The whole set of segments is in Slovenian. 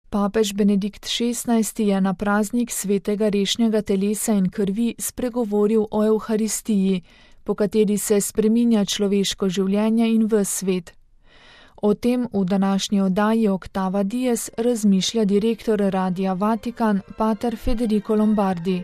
Papež Benedikt XVI je na praznik svetega rešnjega telesa in krvi spregovoril o Evharistiji, po kateri se spreminja človeško življenje in ves svet. O tem v današnji oddaji Octava Dies razmišlja direktor Radia Vatikan, pater Federico Lombardi.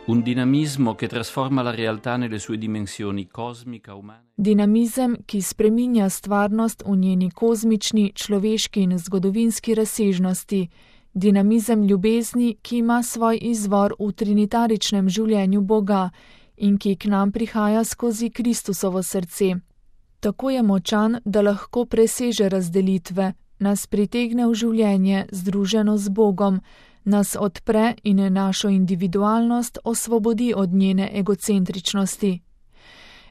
Un dinamismo che trasforma la realtà nelle sue dimensioni cosmica, umana. Dinamizem, ki spreminja stvarnost v njeni kozmični, človeški in zgodovinski razsežnosti. Dinamizem ljubezni, ki ima svoj izvor v trinitaričnem življenju Boga in ki k nam prihaja skozi Kristusovo srce. Tako je močan, da lahko preseže razdelitve, nas pritegne v življenje združeno z Bogom, nas odpre in našo individualnost osvobodi od njene egocentričnosti.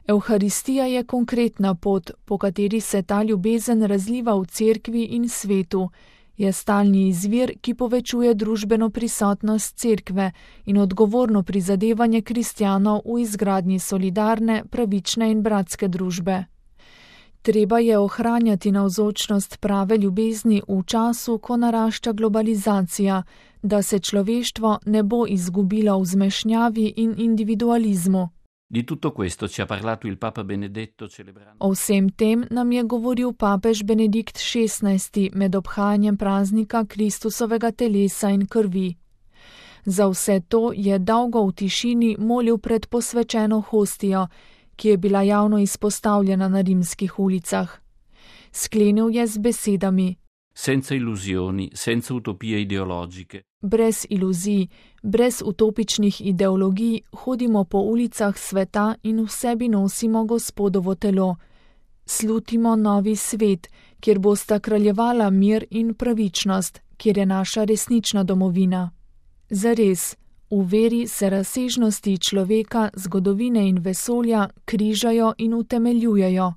Evharistija je konkretna pot, po kateri se ta ljubezen razliva v cerkvi in svetu, je stalni izvir, ki povečuje družbeno prisotnost cerkve in odgovorno prizadevanje kristjanov v izgradnji solidarne, pravične in bratske družbe. Treba je ohranjati navzočnost prave ljubezni v času, ko narašča globalizacija, da se človeštvo ne bo izgubilo v zmešnjavi in individualizmu. Di tutto questo ci ha parlato il Papa Benedetto celebrando. O vsem tem nam je govoril papež Benedikt XVI med obhajanjem praznika Kristusovega telesa in krvi. Za vse to je dolgo v tišini molil pred posvečeno hostijo, ki je bila javno izpostavljena na rimskih ulicah. Sklenil je z besedami: Senza illusioni, senza utopije ideologiche. Brez iluzij, brez utopičnih ideologij hodimo po ulicah sveta in v sebi nosimo Gospodovo telo. Slutimo novi svet, kjer bosta kraljevala mir in pravičnost, kjer je naša resnična domovina. Zares, v veri se razsežnosti človeka, zgodovine in vesolja križajo in utemeljujejo.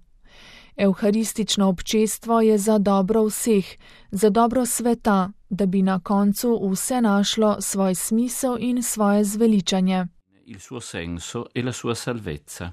Evharistično občestvo je za dobro vseh, za dobro sveta, da bi na koncu vse našlo svoj smisel in svoje zveličanje. Il suo senso e la sua salvezza.